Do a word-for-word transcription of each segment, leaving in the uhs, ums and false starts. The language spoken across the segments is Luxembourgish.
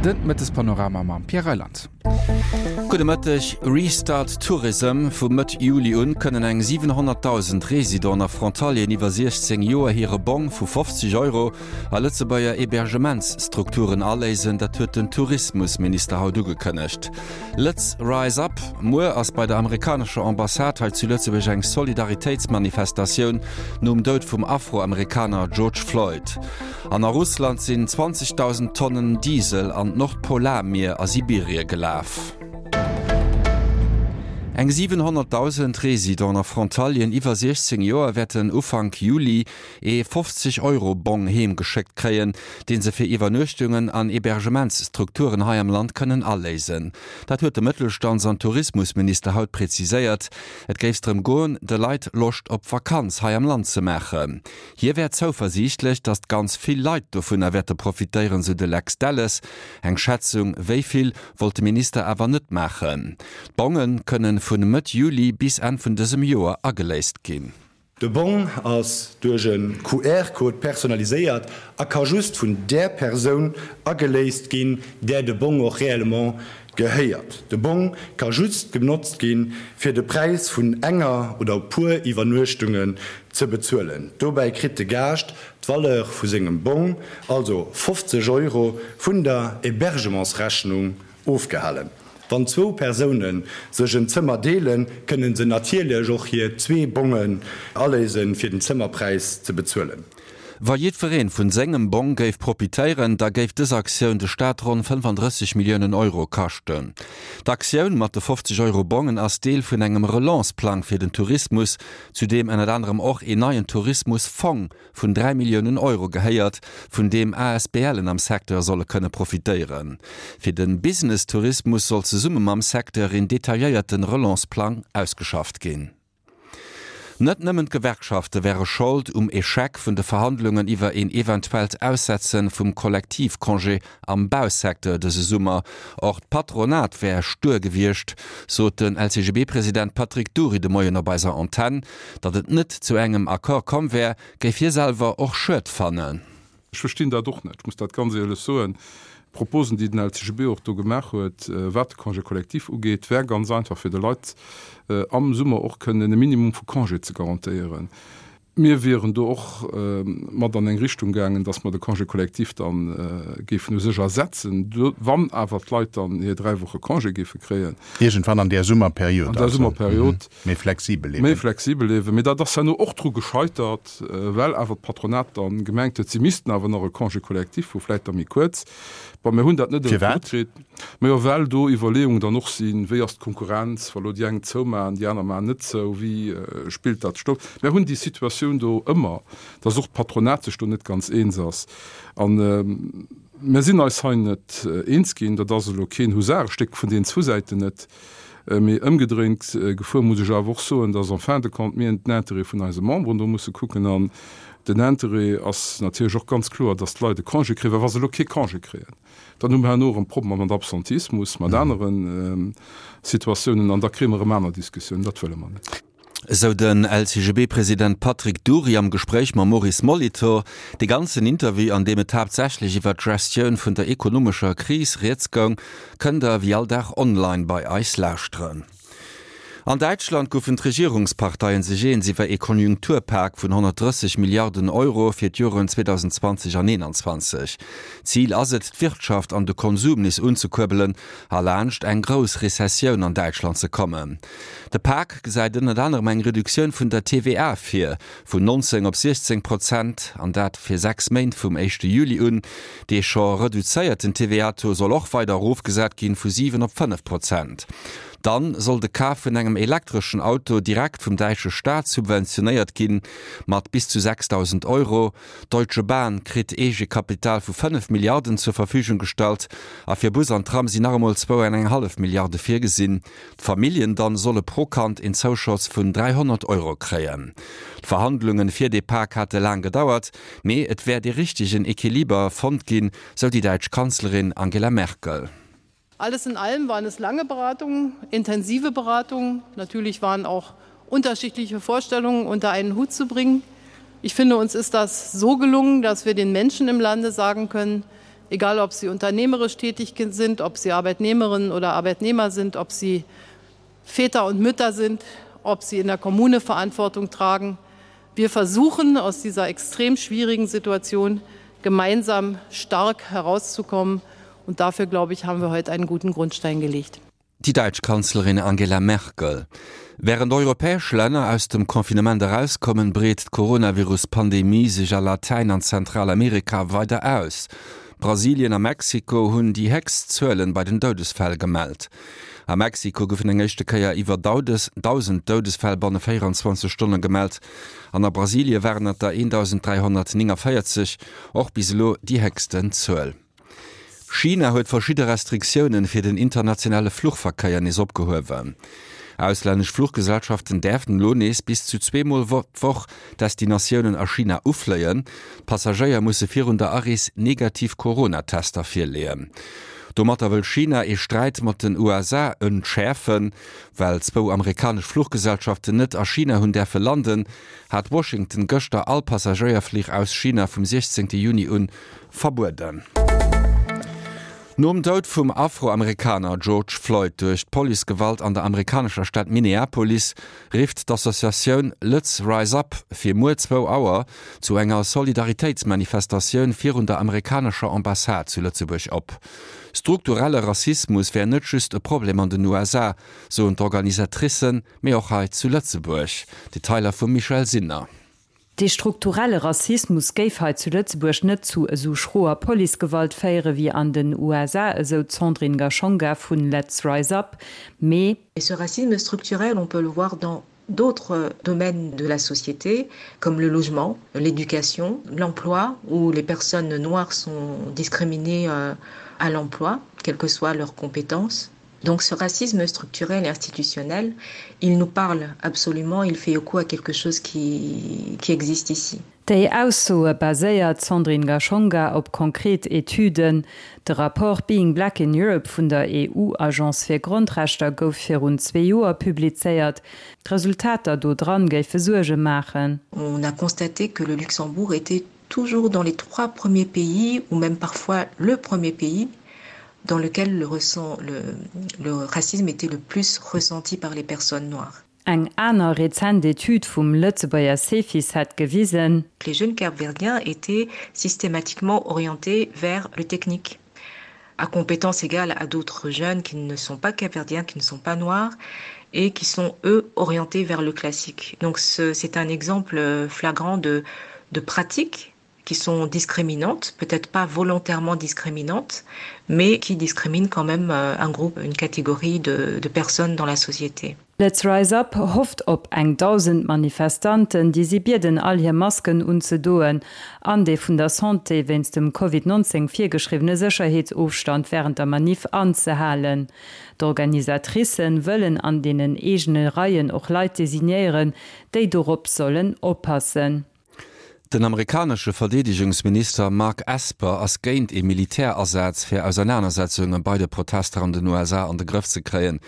Den Mëttespanorama mam Pierre Reyland. Gudde Mëtteg. Restart Tourism, Vu Mëtt Juli un kënnen eng siwenhonnertdausend Residenten a Frontalieren iwwer siechzéng Joer hire Bong vu fofzeg Euro a Lëtzebuerger Hebergementsstrukturen aléisen. Dat huet den Tourismusminister haut ugekënnegt. Lëtz Rise Up, Muer ass bei der amerikanescher Ambassade hei zu Lëtzebuerg eng Solidaritéitsmanifestatioun nom Doud vum Afroamerikaner George Floyd. An a Russland sinn zwanzegdausend Tonnen Diesel an d'Nordpolarmier a Sibirie gelaf. Eng siwenhonnertdausend Residenten a Frontalieren iwwer siechzéng Joer wäerten Ufank Juli ee fofzeg Euro Bong heem geschéckt kréien, dee se fir Iwwernuechtungen an Hebergementsstrukturen hei am Land kënnen aléisen. Dat huet de Mëttelstands an Tourismusminister haut präziséiert. Et géif drëm goen, de Leit Loscht op Vakanz hei am Land ze maachen. Hie wär zouversiichtlech, datt ganz vill Leit dovunner wäerte profitéieren, sou de Lex Delles. Eng Schätzung, wéi vill, wollt de Minister awer net maachen. D'Bonge kënnen vun Mëtt Juli bis Enn vun dësem Joer ageléist ginn. De Bong ass duerch e Q R-Code personaliséiert a ka just vun där Persoun ageléist ginn, där de Bong och réellement gehéiert. De Bong ka just genotzt ginn, fir de Präis vun enger oder e puer Iwwernuechtungen ze bezuelen. Dobäi kritt de Gaascht d'Valeur vu sengem Bong, also fofzeg Euro, vun der Hébergementsrechnung ofgehalen. Wann zwou Persoune sech en Zëmmer deelen, kënne se natierlech och hir zwee Bongen aléisen, fir den Zëmmerpräis ze bezuelen. Wa jiddweree vun sengem Bong géif profitéieren, da géif dës Aktioun de Staat ronn fënnfandrësseg Milliounen Euro kaschten. D'Aktioun mat de fofzeg Euro Bongen ass Deel vun engem Relance-Plang fir den Tourismus, zu deem ënnert anerem och een neien Tourismus-Fong vun dräi Milliounen Euro gehéiert, vun deem A S B Len am Secteur solle kënne profitéieren. Fir de Business-Tourismus soll zesumme mam Secteur een detailléierte Relance-Plang ausgeschafft ginn. Net nëmmen d'Gewerkschafte wäre Schold um Echec vun de Verhandlungen iwwer een eventuellt Aussetze vum Kollektivcongé am Bausecteur dëse Summer, och d'Patronat wär stuer gewiescht, sot den L C G B-President Patrick Dury de Moien op eiser Antenn. Datt et net zu engem Accord komm wär, géif hie selwer och schued fannen. Ech verstinn dat och net, ech muss dat ganz éierlech soen. D'Proposen, déi den L C G B och do gemaach huet, wat de Congé collectif ugeet, wär ganz einfach, fir de Leit am Summer och kënnen e Minimum vu Congé ze garantéieren. Mir wieren do och mat an eng Richtung gaangen, dass mer de Congé collectif da géifen u sech ersetzen, wann awer d'Leit dann hir dräi Woche Congé géife kréien. Iergendwann an där Summerperiod. An der Summerperiod. Méi flexibel eben. Méi flexibel eben. Mee dat ass herno och dru gescheitert, well awer d'Patronat dann gemengt huet, si missten awer nach e Congé collectif hu, vläicht da méi kuerz. Bon, mir hunn dat net Firwat? kritt. Majo, well do Iwwerleeungen dann och sinn, wéi ass d'Konkurrenz, wa lo déi eng zoumaachen, déi aner maachen net zou, wéi spillt dat sech do? Mir hunn déi Situatioun do ëmmer, dass och d'Patronat sech do net ganz eens ass. An mir sinn eis hei net eens ginn. Dat ass elo keen Husarestéck vun deenen zwou Säiten net. Mee ëmgedréint gefuer muss ech awer och soen, dass en fin de compte mir den Intérêt vun eise Memberen do musse kucken. An den Intérêt ass natierlech och ganz kloer, dass d'Leit e Congé kréien, well wa se elo kee Congé kréien, dann hu mer herno erëm Problemer mat Absentismus, mat aneren Situatiounen an da kréie mer erëm aner Diskussiounen. Dat wëlle mer net. Esou den L C G B-President Patrick Dury am Gespréich mam Maurice Molitor. De ganzen Interview, an deem et haaptsächlech iwwer d'Gestioun vun der ekonomescher Kris rieds goung, kënnt der wéi all Dag online bei eis lauschteren. An Däitschland goufen d'Regierungsparteien sech eens iwwer ee Konjunkturpak vun honnertdrësseg Milliarden Euro fir d'Joren zweedausendzwanzeg an eenanzwanzeg. Zil ass et, d'Wirtschaft an de Konsum nees unzekuerbelen a laanscht eng grouss Rezessioun an Däitschland ze kommen. De Pak gesäit ënnert anerem eng Reduktioun vun der T V A vir, vun nonzéng op siechzéng Prozent, an dat fir sechs Méint vum éischte Juli un. Dee scho reduzéierten T V A-Taux soll och weider erofgesat ginn, vu siwen op fënnef Prozent. Dann soll de Kaf vun engem elektreschen Auto direkt vum däitsche Staat subventionéiert ginn, mat bis zu sechsdausend Euro. D'Deutsche Bahn kritt Eegekapital vu fënnef Milliarden zur Verfügung gestallt a fir Bus an Tram sinn nach emol zwou an eng hallef Milliarde virgesinn. D'Familljen dann solle pro Kand een Zouschoss vun dräihonnert Euro kréien. D'Verhandlungen fir dee Pak hate laang gedauert, mee et wär dee richtegen Equiliber fonnt ginn, sou déi däitsch Kanzlerin Angela Merkel. Alles in allem waren es lange Beratungen, intensive Beratungen. Natürlich waren auch unterschiedliche Vorstellungen unter einen Hut zu bringen. Ich finde, uns ist das so gelungen, dass wir den Menschen im Lande sagen können, egal ob sie unternehmerisch tätig sind, ob sie Arbeitnehmerinnen oder Arbeitnehmer sind, ob sie Väter und Mütter sind, ob sie in der Kommune Verantwortung tragen. Wir versuchen aus dieser extrem schwierigen Situation gemeinsam stark herauszukommen. Und dafür, glaube ich, haben wir heute einen guten Grundstein gelegt. Déi däitsch Kanzlerin Angela Merkel. Wärend europäesch Länner aus dem Confinement erauskommen, breet d'Coronavirus-Pandemie sech a Latäin an Zentralamerika weider aus. Brasilien a Mexiko hunn déi héchst Zuelen bei den Doudesfäll gemellt. A Mexiko goufen eng éischte Kéier iwwer dausend Doudesfäll banne véierenzwanzeg Stonne gemellt an a Brasilie waren et der eendausenddräihonnertnéngavéierzeg, och bis elo déi héchsten Zuel. China huet verschidde Restriktioune fir den internationale Fluchverkéier nees opgehuewen. Auslännesch Fluchgesellschaften däerfen elo nees bis zu zwee Mol d'Woch Destinatiounen a China ufléien. D'Passagéier musse virun der Arees negativ Corona-Tester virleeën. Domatter wëll China ee Sträit mat den U S A entschäerfen. Well zwou amerikanesch Fluchgesellschaften net a China hunn däerfe landen, hat Washington gëschter all Passagéierflich aus China vum siechzéngte Juni un verbueden. Nom Doud vum Afroamerikaner George Floyd duerch d'Policegewalt an der amerikanescher Stad Minneapolis rifft d'Associatioun Let's Rise Up fir muer zwou Auer zu enger Solidaritéitsmanifestatioun virun der amerikanescher Ambassade zu Lëtzebuerg op. Strukturelle Rassismus wär net just e Problem an den U S A, soen d'Organisatricen, mee och hei zu Lëtzebuerg. Detailer vum Michèle Sinner. Dee strukturelle Rassismus géif hei zu Lëtzebuerg net zu esou schroer Policegewalt féiere wéi an den U S A, esou d'Sandrine Gashonga vun Let's Rise Up, mee Et ce racisme structurel, on peut le voir dans d'autres domaines de la société, comme le logement, l'éducation, l'emploi, où les personnes noires sont discriminées, euh, à l'emploi, quelles que soient leurs compétences. Donc ce racisme structurel et institutionnel, il nous parle absolument, il fait écho à quelque chose qui, qui existe ici. Déi Aussoe baséiert Sandrine Gashonga op konkret Etüden. De Rapport Being Black in Europe vun der E U-Agence fir Grondrechter gouf virun zwee Joer publizéiert. D'Resultater do dran géife Suerge maachen. On a constaté que le Luxembourg était toujours dans les trois premiers pays, ou même parfois le premier pays, dans lequel le ressent, le, le racisme était le plus ressenti par les personnes noires. Eng aner rezent Etüd vum Lëtzebuerger Cefis hat gewisen, Les jeunes capverdiens étaient systématiquement orientés vers le technique, à compétences égales à d'autres jeunes qui ne sont pas capverdiens, qui ne sont pas noirs et qui sont, eux, orientés vers le classique. Donc ce, c'est un exemple flagrant de, de pratiques qui sont discriminantes, peut-être pas volontairement discriminantes, mais qui discriminent quand même, euh, un groupe, une catégorie de, de personnes dans la société. Let's Rise Up hofft op eng dausend Manifestanten, déi si bieden all hir Masken unzedoen, an dee vun der Santé wéinst dem Covid neunzehn virgeschriwwene Sécherheetsofstand während der Manif anzehalen. D'Organisatricen wëllen an deenen eegene Reien och Leit designéieren, déi dorop sollen oppassen. Den amerikanesche Verdeedegungsminister Mark Esper ass géint e Militärasaz fir Auseinandersetzungen bei de Protester an den U S A an de Grëff ze kréien.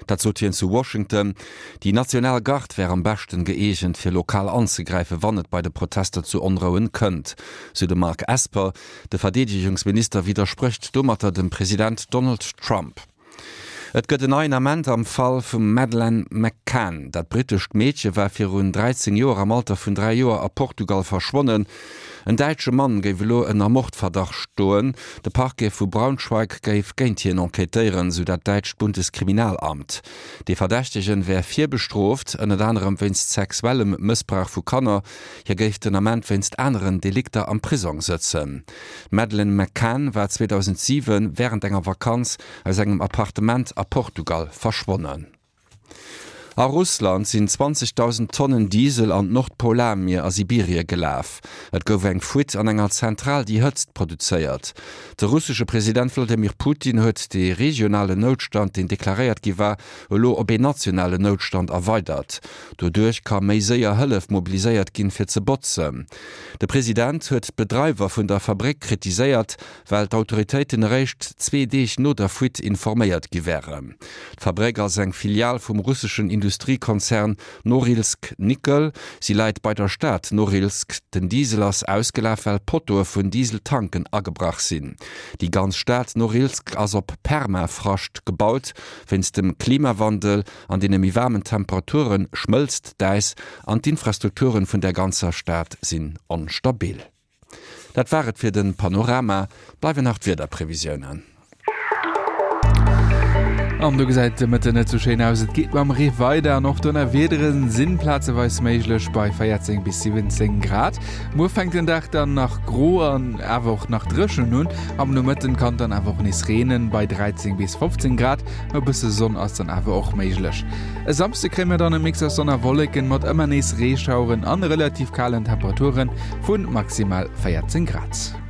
Dat sot hien zu Washington. Déi national Garde wär am beschten gëeegent fir lokal anzegräifen, wann et bei de Protester zu Onrouen kënnt. So de Mark Esper, de Verdeedegungsminister, widerspricht domatter dem President Donald Trump. Et gëtt en neien Ament am Fall vum Madeleine McCann. Dat britescht Meedche war virun dreizéng Joer am Alter vun dräi Joer a Portugal verschwonnen. En däitsche Mann géif elo ënner Mordverdacht stoen. De Parquet vu Braunschweig géif géint hien enquêtéieren, sou dat däitscht Bundeskriminalamt. De Verdächtegen wär virbestrooft, ënnert anerem wéinst sexuellem Mëssbrauch vu Kanner. Hie géif den Ament wéinst aneren Delikter am Prisong sëtzen. Madeleine McCann war zweetausentsiwen während enger Vakanz aus engem Appartement a Portugal verschwonnen. A Russland sinn zwanzigtausend Tonnen Diesel an d'Nordpolarmier a Sibirie gelaf. Et gouf eng Fuite an enger Zentral, déi Hëtzt produzéiert. De russesche President Wladimir Putin huet de regionale Noutstand, deen deklaréiert gi war, elo op een nationale Noutstand erweidert. Doduerch ka méi séier Hëllef mobiliséiert ginn, fir ze botzen. De President huet d'Bedreiwer vun der Fabrik kritiséiert, well d'Autoritéiten eréischt zwee Deeg no der Fuite informéiert gi wären. D'Fabrik ass eng Filial vum russeschen Industriekonzern Norilsk Nickel. Si läit bei der Stad Norilsk. Den Diesel ass ausgelaf, well Pottoe vun Dieseltanken agebrach sinn. Déi ganz Stad Norilsk ass op Permafrascht gebaut. Wéinst dem Klimawandel an deene méi waarmen Temperature schmëlzt d'Äis an d'Infrastrukturen vun der ganzer Stad sinn onstabil. Dat war et fir de Panorama. Bleiwen nach d'Wiederprevisiounen. An do gesäit de Mëtten net sou schéin aus. Et geet mam Ree weider an och Donnerwiedere sinn plazeweis méiglech bei véierzéng bis siwwenzéng Grad. Muer fänkt den Dag dann nach gro an awer och nach dréchen un. Am Nomëtten kann et dann awer och nees reenen bei dräizéng bis fofzéng Grad. E bësse Sonn ass dann awer och méiglech. E Samsde kréie mir dann e Mix aus Sonn a Wolleken mat ëmmer nees Reeschaueren an relativ kalen Temperature vu maximal véierzéng Grad.